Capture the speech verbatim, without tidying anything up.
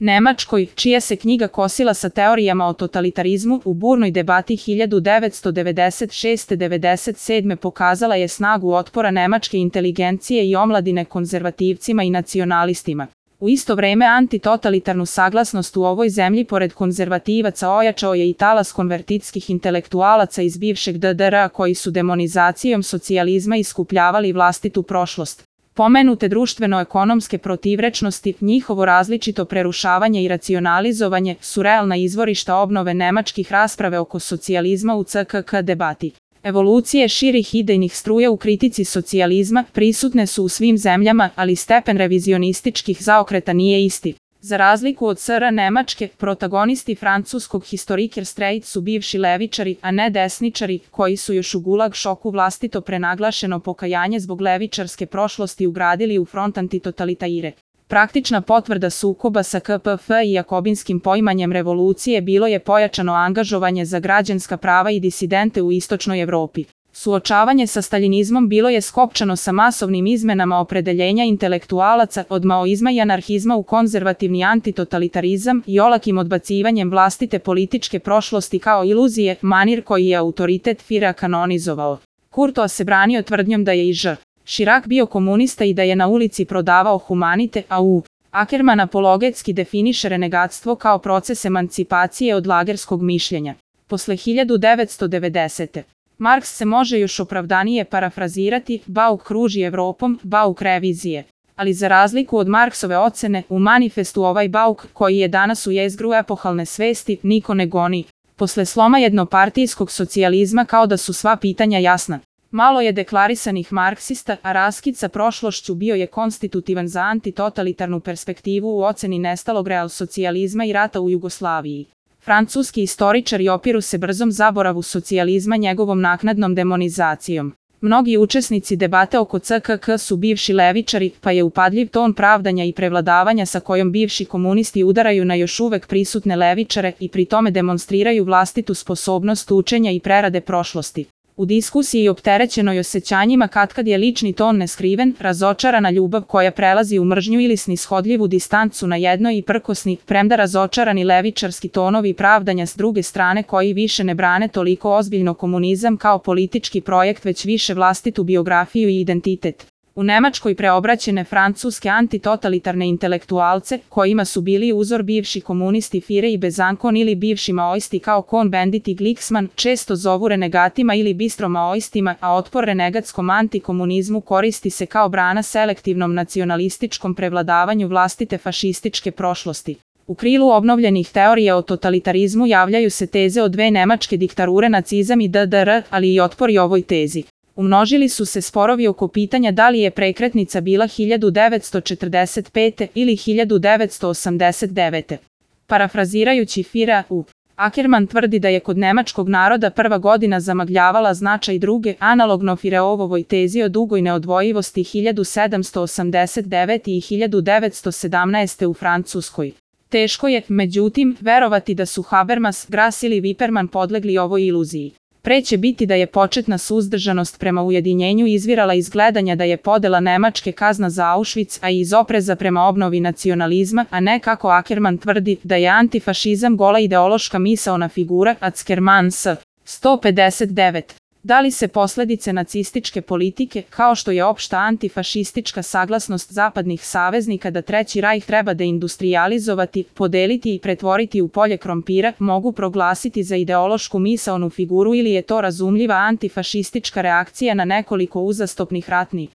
Nemačkoj, čija se knjiga kosila sa teorijama o totalitarizmu, u burnoj debati hiljadu devetsto devedeset šeste do devedeset sedme pokazala je snagu otpora nemačke inteligencije i omladine konzervativcima i nacionalistima. U isto vreme antitotalitarnu saglasnost u ovoj zemlji pored konzervativaca ojačao je i talas konvertitskih intelektualaca iz bivšeg D D R-a koji su demonizacijom socijalizma iskupljavali vlastitu prošlost. Pomenute društveno-ekonomske protivrečnosti, njihovo različito prerušavanje i racionalizovanje su realna izvorišta obnove nemačkih rasprave oko socijalizma u C K K debati. Evolucije širih idejnih struja u kritici socijalizma prisutne su u svim zemljama, ali stepen revizionističkih zaokreta nije isti. Za razliku od S R Nemačke, protagonisti francuskog Historikerstreit su bivši levičari, a ne desničari, koji su još u gulag šoku vlastito prenaglašeno pokajanje zbog levičarske prošlosti ugradili u front antitotalitaire. Praktična potvrda sukoba sa K P F i jakobinskim poimanjem revolucije bilo je pojačano angažovanje za građanska prava i disidente u istočnoj Evropi. Suočavanje sa staljinizmom bilo je skopčano sa masovnim izmenama opredeljenja intelektualaca od maoizma i anarhizma u konzervativni antitotalitarizam i olakim odbacivanjem vlastite političke prošlosti kao iluzije, manir koji je autoritet Führera kanonizovao. Courtois se branio tvrdnjom da je i Ž. Chirac bio komunista i da je na ulici prodavao humanite, a U. Ackerman apologetski definiše renegatstvo kao proces emancipacije od lagerskog mišljenja. Posle hiljadu devetsto devedesete. Marks se može još opravdanije parafrazirati, Bauk kruži Evropom, Bauk revizije. Ali za razliku od Marksove ocene, u manifestu ovaj Bauk, koji je danas u jezgru epohalne svesti, niko ne goni. Posle sloma jednopartijskog socijalizma kao da su sva pitanja jasna. Malo je deklarisanih marksista, a raskid sa prošlošću bio je konstitutivan za antitotalitarnu perspektivu u oceni nestalog realsocijalizma i rata u Jugoslaviji. Francuski istoričari opiru se brzom zaboravu socijalizma njegovom naknadnom demonizacijom. Mnogi učesnici debate oko C K K su bivši levičari, pa je upadljiv ton pravdanja i prevladavanja sa kojom bivši komunisti udaraju na još uvek prisutne levičare i pri tome demonstriraju vlastitu sposobnost učenja i prerade prošlosti. U diskusiji opterećenoj osjećanjima katkad je lični ton neskriven, razočarana ljubav koja prelazi u mržnju ili snishodljivu distancu na jednoj i prkosni, premda razočarani levičarski tonovi pravdanja s druge strane koji više ne brane toliko ozbiljno komunizam kao politički projekt već više vlastitu biografiju i identitet. U Nemačkoj preobraćene francuske antitotalitarne intelektualce, kojima su bili uzor bivši komunisti Führer i Besancon ili bivši maoisti kao Cohn-Bendit i Glucksmann, često zovu renegatima ili bistro maoistima, a otpor renegatskom antikomunizmu koristi se kao brana selektivnom nacionalističkom prevladavanju vlastite fašističke prošlosti. U krilu obnovljenih teorija o totalitarizmu javljaju se teze o dve nemačke diktature, nacizam i D D R, ali i otpori ovoj tezi. Umnožili su se sporovi oko pitanja da li je prekretnica bila hiljadu devetsto četrdeset pete. ili hiljadu devetsto osamdeset devete. Parafrazirajući Führera, U. Ackerman tvrdi da je kod nemačkog naroda prva godina zamagljavala značaj druge, analogno Führerovoj tezi o dugoj neodvojivosti hiljadu sedamsto osamdeset devete. i hiljadu devetsto sedamnaeste. u Francuskoj. Teško je, međutim, verovati da su Habermas, Grass ili Wipperman podlegli ovoj iluziji. Pre će biti da je početna suzdržanost prema ujedinjenju izvirala iz gledanja da je podela Nemačke kazna za Auschwitz, a i iz opreza prema obnovi nacionalizma, a ne kako Ackerman tvrdi da je antifašizam gola ideološka misaona figura, Ackerman s. sto pedeset devet. Da li se posledice nacističke politike, kao što je opšta antifašistička saglasnost zapadnih saveznika da Treći rajh treba deindustrijalizovati, podeliti i pretvoriti u polje krompira, mogu proglasiti za ideološku misaonu figuru ili je to razumljiva antifašistička reakcija na nekoliko uzastopnih ratnih